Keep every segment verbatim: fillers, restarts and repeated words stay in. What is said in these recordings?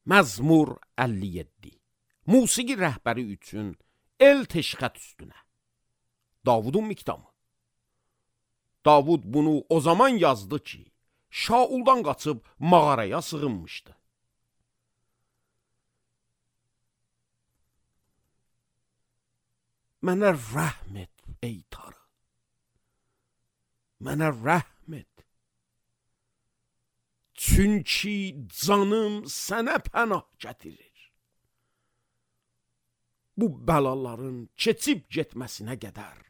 Məzmur əlli yeddi. Musiqi rəhbəri üçün el teşxət üstünə. Davudun miqdamı. Davud bunu o zaman yazdı ki, Şauldan qaçıb mağaraya sığınmışdı. Mənə rəhm et, ey Tanrı. Mənə rəhm et. Çünki canım sənə pənah gətirir. Bu bəlaların keçib getməsinə qədər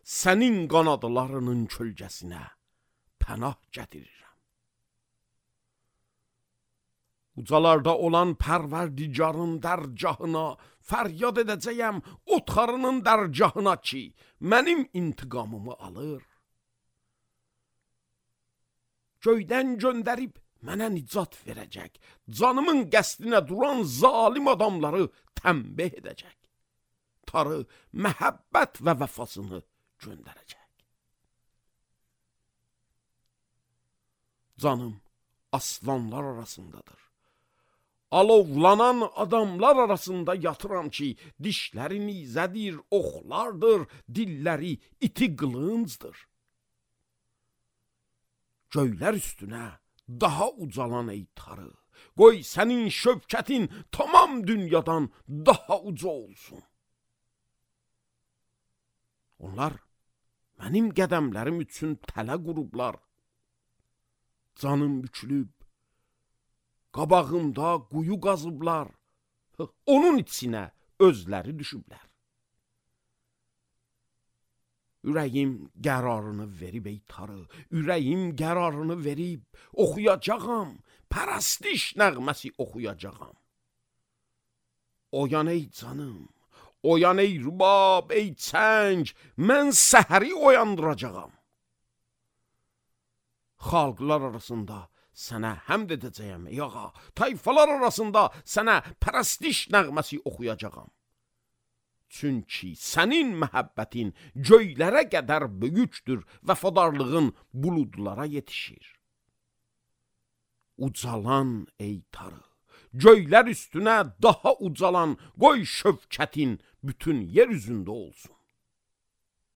sənin qanadlarının kölgəsinə pənah gətirirəm. Ucalarda olan Pərverdigarın dərgahına fəryad edəcəyəm, otxarının dərgahına ki, mənim intiqamımı alır. Göydən göndərib mənə nicat verəcək, canımın qəsdinə duran zalim adamları tənbih edəcək. Tanrı məhəbbət və vəfasını göndərəcək. Canım aslanlar arasındadır. Alovlanan adamlar arasında yatıram ki, dişləri nizədir, oxlardır, dilləri iti qılıncdır. Göylər üstünə daha ucalan ey Tanrı, qoy sənin şövkətin tamam dünyadan daha uca olsun. Onlar mənim qədəmlərim üçün tələ qurublar. Canım bükülüb, qabağımda quyu qazıblar, onun içinə özləri düşüblər. Ürəyim qərarını verib ey Tanrı, ürəyim qərarını verib, oxuyacağam, pərəstiş nəğməsi oxuyacağam. Oyan ey canım, oyan ey rübab, ey çəng, mən səhəri oyandıracağam. Xalqlar arasında sənə həmd edəcəyəm ey ağa, tayfalar arasında sənə pərəstiş nəğməsi oxuyacağam. Çünki sənin məhəbbətin göylərə qədər böyükdür, vəfadarlığın buludlara yetişir. Ucalan ey Tanrı, göylər üstünə daha ucalan, qoy şövkətin bütün yer üzündə olsun.